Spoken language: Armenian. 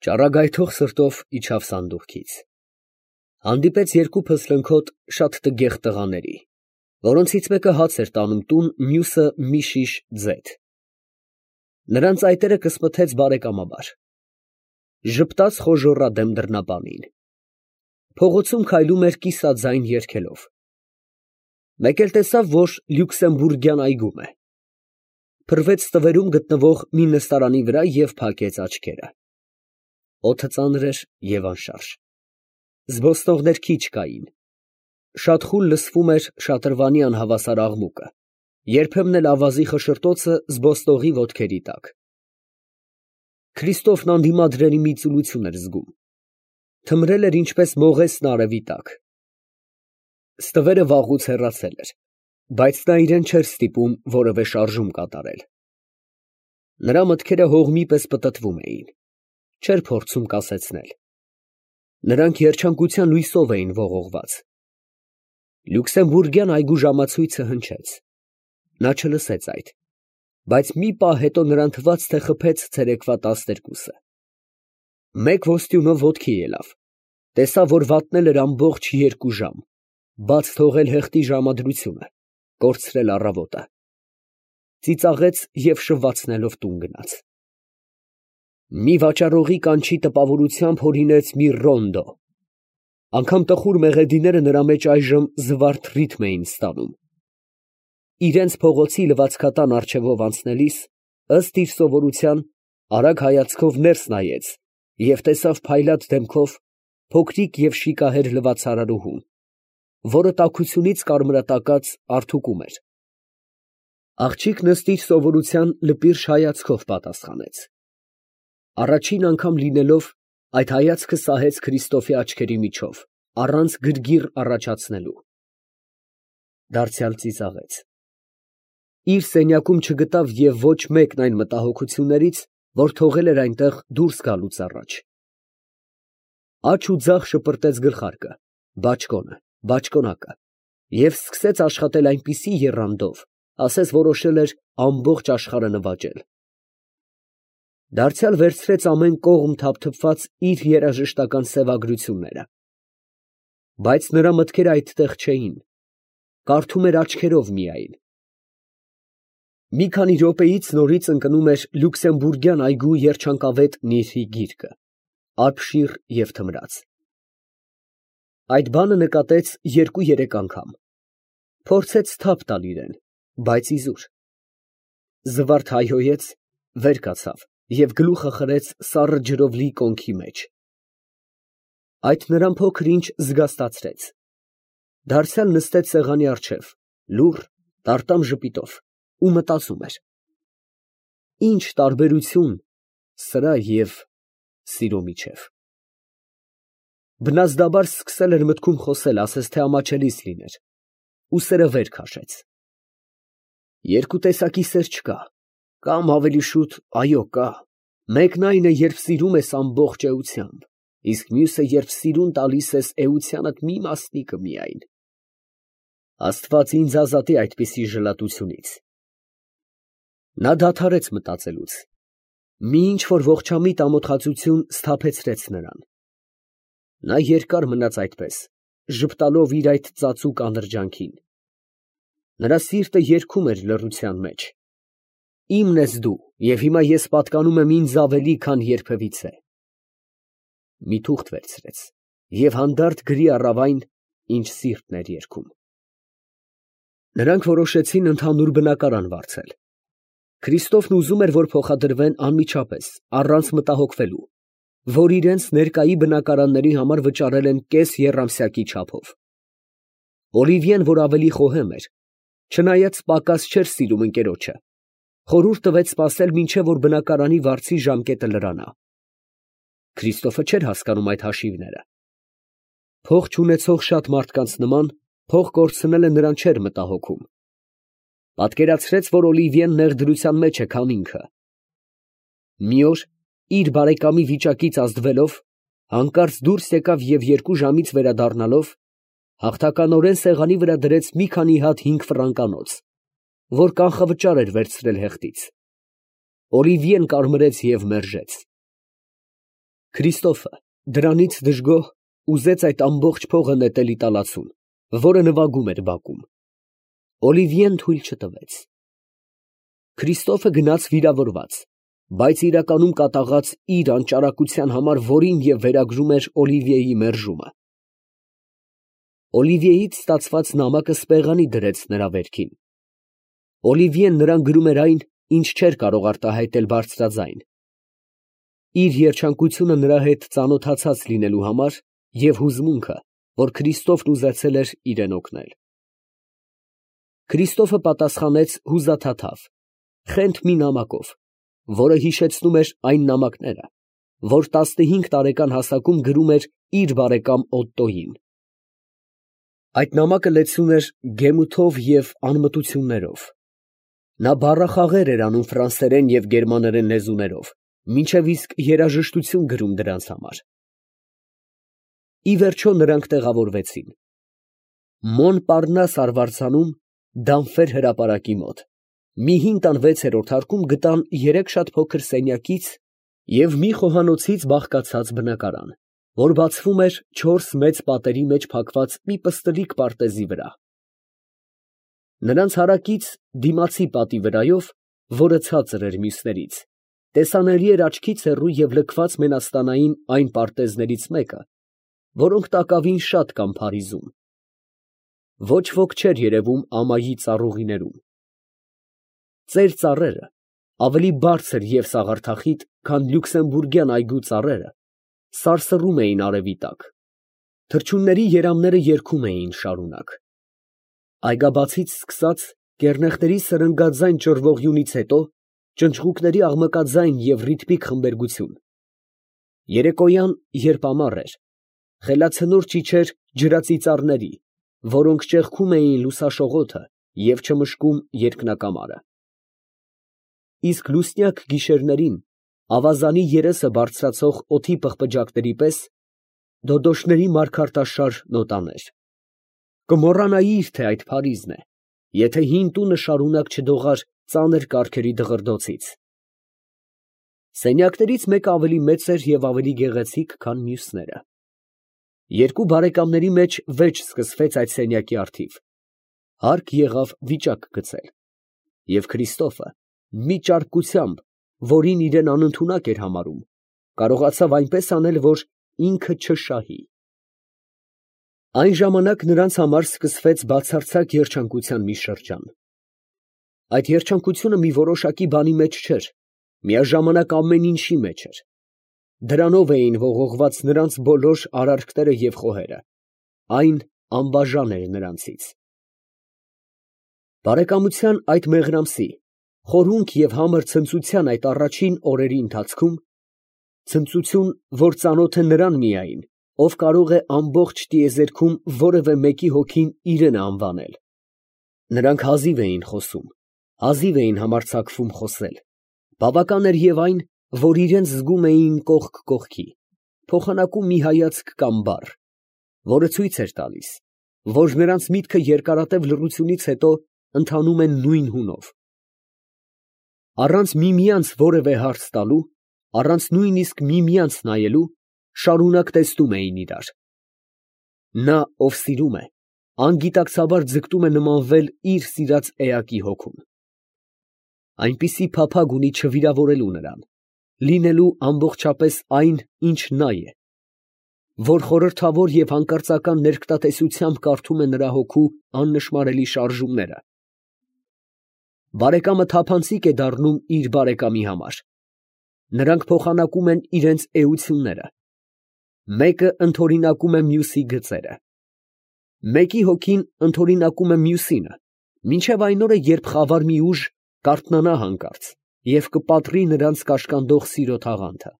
Ճառագայթող սրտով իջավ սանդուղքից. հանդիպեց երկու փսլնքոտ շատ տգեղ տղաների, որոնցից մեկը հաց էր տանում տուն, մյուսը մի շիշ ձեթ. նրանց այտերը կսմթեց բարեկամաբար, ժպտաց խոժոռադեմ դռնապանին, փողոցում քայլում էր կիսաձայն երգելով, մեկ էլ տեսավ, որ Լյուքսեմբուրգյան այգում է, փռվեց ստվերում գտնվող մի նստարանի վրա և փակեց աչքերը. օդը ծանր էր և անշարժ, զբոսնողներ քիչ կային, շատ խուլ լսվում էր շատրվանի անհավասար աղմուկը, երբեմն էլ ավազի խշշոտոցը զբոսնողի ոտքերի տակ. Քրիստոֆն անդիմադրելի մի ծուլություն էր զգում, թմրել էր ինչպես մողեսն արևի տակ, ստվերը վաղուց հեռացել էր, բայց նա իրեն չէր ստիպում որևէ շարժում կատարել, նրա մտքերը հողմի պես պտտվում էին, չէր փորձում կասեցնել, նրանք երջանկության լույսով էին ողողված, Լյուքսեմբուրգյան այգու ժամացույցը հնչեց, նա չլսեց այդ, բայց մի պահ հետո նրան թվաց, թե խփեց ցերեկվա 12-ը, մեկ ոստյունով ոտքի ելավ, տեսավ, որ վատնել էր ամբողջ 2 ժամ, բաց թողել հեղտի ժամադրությունը, կորցրել առավոտը, ծիծաղեց և շվվացնելով տուն գնաց. մի վաճառողի կանչի տպավորությամբ հորինեց մի ռոնդո, անգամ տխուր մեղեդիները նրա մեջ այժմ զվարթ ռիթմ էին ստանում, իրենց փողոցի լվացքատան առջևով անցնելիս, ըստ իր սովորության, արագ հայացքով ներս նայեց և տեսավ փայլատ դեմքով փոքրիկ և շիկահեր լվացարարուհուն, որը տաքությունից կարմրատակած արթուկում էր, աղջիկն ըստ իր սովորության լպիրշ հայացքով պատասխանեց, առաջին անգամ լինելով, այդ հայացքը սահեց Քրիստոֆի աչքերի միջով, առանց գրգիռ առաջացնելու, դարձյալ ծիծաղեց, իր սենյակում չգտավ և ոչ մեկն այն մտահոգություններից, որ թողել էր այնտեղ դուրս գալուց առաջ, աջ ու ձախ շպրտեց գլխարկը, բաճկոնը, բաճկոնակը և սկսեց աշխատել այնպիսի եռանդով, ասես որոշել էր ամբողջ աշխարհը նվաճել, դարձյալ վերցրեց ամեն կողմ թափթփված իր երաժշտական սևագրությունները, բայց նրա մտքերը այդտեղ չէին, կարդում էր աչքերով միայն, մի քանի րոպեից նորից ընկնում էր Լյուքսեմբուրգյան այգու երջանկավետ նիրհի գիրկը, արբշիր և թմրած, այդ բանը նկատեց 2-3 անգամ, փորձեց թափ տալ իրեն, բայց իզուր, զվարթ հայհոյեց, վեր կացավ և գլուխը խրեց սառը ջրով լի կոնքի մեջ, այդ նրան փոքր ինչ զգաստացրեց, դարձյալ նստեց սեղանի առջև, լուռ, տարտամ ժպիտով ու մտածում էր. ինչ տարբերություն սրա և սիրո միջև, բնազդաբար սկսել էր մտքում խոսել, ասես թե ամաչելիս լիներ, ու սերը վեր քաշեց, երկու տեսակի սեր չկա, կամ ավելի շուտ, այո կա, մեկն այն է, երբ սիրում ես ամբողջ էությամբ, իսկ մյուսը, երբ սիրուն տալիս ես էությանդ մի մասնիկը միայն, Աստված ինձ ազատի այդպիսի ժլատությունից, նա դադարեց մտածելուց, մի ինչ-որ ողջամիտ ամոթխածություն սթափեցրեց նրան, նա երկար մնաց այդպես, ժպտալով իր այդ ծածուկ անրջանքին, նրա սիրտը երգում էր լռության մեջ, իմն ես դու, և հիմա ես պատկանում եմ ինձ ավելի, քան երբևիցե, մի թուղթ վերցրեց և հանդարտ գրի առավ այն, ինչ սիրտն էր երգում, նրանք որոշեցին ընդհանուր բնակարան վարձել, Քրիստոֆն ուզում էր, որ փոխադրվեն անմիջապես, առանց մտահոգվելու, որ իրենց ներկայի բնակարանների համար վճարել են կես եռամսյակի չափով, Օլիվիեն, որ ավելի խոհեմ էր, չնայած պակաս չէր սիրում ընկերոջը, խորհուրդ տվեց սպասել, մինչև որ բնակարանի վարձի ժամկետը լրանա, Քրիստոֆը չէր հասկանում այդ հաշիվները, փող չունեցող շատ մարդկանց նման, փող կորցնելը նրան չէր մտահոգում, պատկերացրեց, որ Օլիվիեն նեղդրության մեջ է, քան ինքը, մի օր, իր բարեկամի վիճակից ազդվելով, հանկարծ դուրս եկավ և 2 ժամից վերադառնալով, հաղթականորեն սեղանի վրա դրեց մի քանի հատ 5 ֆրանկանոց, որ կանխավճար էր վերցրել հեղտից, Օլիվիեն կարմրեց և մերժեց, Քրիստոֆը դրանից դժգոհ ուզեց այդ ամբողջ փողը նետել իտալացուն, որը նվագում էր բակում։ Օլիվիեն թույլ չտվեց։ Քրիստոֆը գնաց վիրավորված, բայց իրականում կատաղած իր անճարակության համար, որին և վերագրում էր Օլիվիեի մերժումը։ Օլիվիեից ստացված նամակը սպեղանի դրեց նրա վերքին։ Օլիվիեն նրան գրում էր այն, ինչ չէր կարող արտահայտել բարձրաձայն, իր երջանկությունը նրա հետ ծանոթացած լինելու համար և հուզմունքը, որ Քրիստոֆն ուզեցել էր իրեն օգնել։ Քրիստոֆը պատասխանեց հուզաթաթավ, խենթ մի նամակով, որը հիշեցնում էր այն նամակները, որ 15 տարեկան հասակում գրում էր իր բարեկամ Օտտոյին։ Այդ նամակը լեցուն էր գեմութով և անմտություններով։ Նա բառախաղեր էր անում ֆրանսերեն և գերմաներեն լեզուներով, մինչև իսկ երաժշտություն գրում դրանց համար։ Ի վերջո նրանք տեղավորվեցին Մոնպարնաս արվարձանում Դանֆեր հրապարակի մոտ, մի 5 տան 6-րդ հարկում գտան 3 շատ փոքր սենյակից և մի խոհանոցից բաղկացած բնակարան, որ բացվում էր 4 մեծ պատերի մեջ փակված մի պստլիկ պարտեզի վրա։ Նրանց հարակից դիմացի պատի վրայով, որը ցածր էր մյուսներից, տեսանելի էր աչքից հեռու և լքված մենաստանային այն պարտեզներից մեկը, որոնք տակավին շատ կան Փարիզում։ Ոչ ոք չէր երևում ամայի ծառուղիներում։ Ծեր ծառերը ավելի բարձր և սաղարթախիտ, քան լյուքսեմբուրգյան այգու ծառերը, սարսռում էին արևի տակ, թռչունների երամները երգում էին շարունակ։ Այգաբացից սկսած կեռնեխների սրնգաձայն ճռվողյունից հետո ճնճղուկների աղմկաձայն և ռիթմիկ խմբերգություն։ Երեկոյան, երբ ամառ էր, խելացնորճ իջեր ջրածիծառների, որոնք ճեղքում էին լուսաշողոթը և չմշկում երկնակամարը։ Իսկ լուսնյակ գիշերներին ավազանի երեսը բարձրացող օդի պղպջակների պես դոդոշների մարգարտաշար նոտաներ։ Կմոռանայիր, թե այդ Փարիզն է, եթե հին տունը շարունակ չդողար ծանր կառքերի դղրդոցից։ Սենյակներից մեկը ավելի մեծ էր և ավելի գեղեցիկ, քան մյուսները։ Երկու բարեկամների մեջ վեճ սկսվեց այդ սենյակի առթիվ։ Հարկ եղավ վիճակ գծել։ Եվ Քրիստոֆը, մի ճարպկությամբ, որին իրեն անընդունակ էր համարում, կարողացավ այնպես անել, որ ինքը չշահի։ Այն ժամանակ նրանց համար սկսվեց բացարձակ երջանկության մի շրջան։ Այդ երջանկությունը մի որոշակի բանի մեջ չէր, միաժամանակ ամեն ինչի մեջ էր։ Դրանով էին ողողված նրանց բոլոր արարքները և խոհերը, այն անբաժան էր նրանցից։ Բարեկամության այդ մեղրամսի, խորհունք և համր ցնծության այդ առաջին օրերի ընթացքում, ցնծություն, որ ծանոթ է նրան միայն, ով կարող է ամբողջ տիեզերքում որևէ մեկի հոգին իրենը անվանել, նրանք հազիվ էին խոսում, հազիվ էին համարձակվում խոսել, բավական էր և այն, որ իրենց զգում էին կողք կողքի, փոխանակում մի հայացք կամ բառ, որը ցույց էր տալիս, որ նրանց միտքը երկարատև լռությունից հետո ընթանում է նույն հունով։ Առանց միմյանց որևէ հարց տալու, առանց նույնիսկ միմյանց նայելու, շարունակ տեսնում էին իրար։ Նա, ով սիրում է, անգիտակցաբար ձգտում է նմանվել իր սիրած էակի հոգուն։ Այնպիսի փափագ ունի չվիրավորելու նրան, լինելու ամբողջապես այն, ինչ նա է, որ խորհրդավոր և հանկարծական ներկտատեսությամբ կարդում է նրա հոգու աննշմարելի շարժումները։ Բարեկամը թափանցիկ է դառնում իր բարեկամի համար։ Նրանք փոխանակում են իրենց էությունները։ Մեկը ընդօրինակում է մյուսի գծերը։ Մեկի հոգին ընդօրինակում է մյուսինը, մինչև այն օրը, երբ խավար մի ուժ կարթնանա հանկարծ և կպատրի նրանց կաշկանդող սիրո թաղանթը։